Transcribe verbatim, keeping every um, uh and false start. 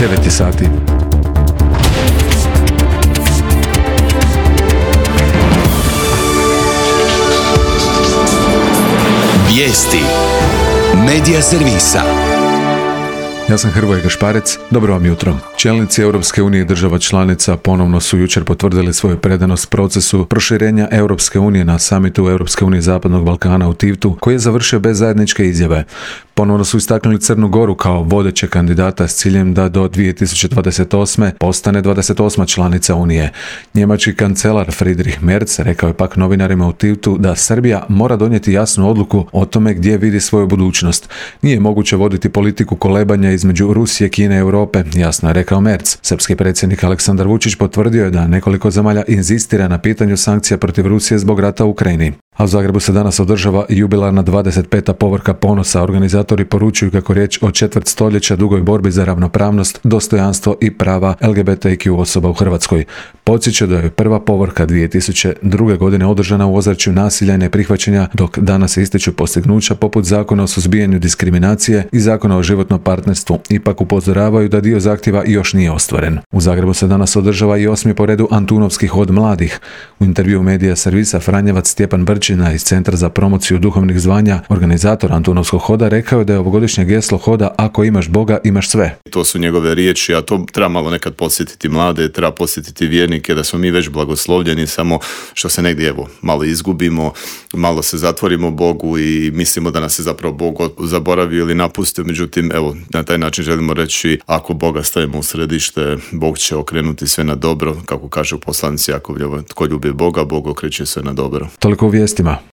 devet sati. Vijesti Medija servisa. Ja sam Hrvoje Gašparec, dobro vam jutro. Čelnici Europske unije i država članica ponovno su jučer potvrdili svoju predanost procesu proširenja Europske unije na samitu Europske unije Zapadnog Balkana u Tivtu, koji je završio bez zajedničke izjave. Ponovno su istaknuli Crnu Goru kao vodeće kandidata s ciljem da do dvije tisuće dvadeset osme postane dvadeset osma članica Unije. Njemački kancelar Friedrich Merz rekao je pak novinarima u Tivtu da Srbija mora donijeti jasnu odluku o tome gdje vidi svoju budućnost. Nije moguće voditi politiku kolebanja između Rusije, Kine i Europe, jasno je rekao Merz. Srpski predsjednik Aleksandar Vučić potvrdio je da nekoliko zemalja inzistira na pitanju sankcija protiv Rusije zbog rata u Ukrajini. A u Zagrebu se danas održava jubilarna dvadeset peta povorka ponosa. Organizatori poručuju kako riječ o četvrt stoljeća dugoj borbi za ravnopravnost, dostojanstvo i prava L G B T Q osoba u Hrvatskoj. Podsjeća da je prva povorka dvije tisuće druge. godine održana u ozračju nasilja i neprihvaćanja, dok danas se ističu postignuća poput Zakona o suzbijanju diskriminacije i Zakona o životnom partnerstvu. Ipak upozoravaju da dio zahtjeva još nije ostvaren. U Zagrebu se danas održava i osmi po redu Antunovski hod mladih. U intervjuu Medija servisa Franjevac Stjepan Brčina iz Centra za promociju duhovnih zvanja, organizator Antunovskog hoda, rekao je da je ovogodišnje geslo hoda "Ako imaš Boga, imaš sve". To su njegove riječi, a to treba malo nekad podsjetiti mlade, treba podsjetiti vjernike da smo mi već blagoslovljeni, samo što se negdje evo malo izgubimo, malo se zatvorimo Bogu i mislimo da nas je zapravo Bog zaboravio ili napustio. Međutim, evo, na taj način želimo reći, ako Boga stavimo u središte, Bog će okrenuti sve na dobro, kako kaže u poslanici Jakov, tko ljubi Boga, Bog okreće sve na dobro. Toliko u vijestima.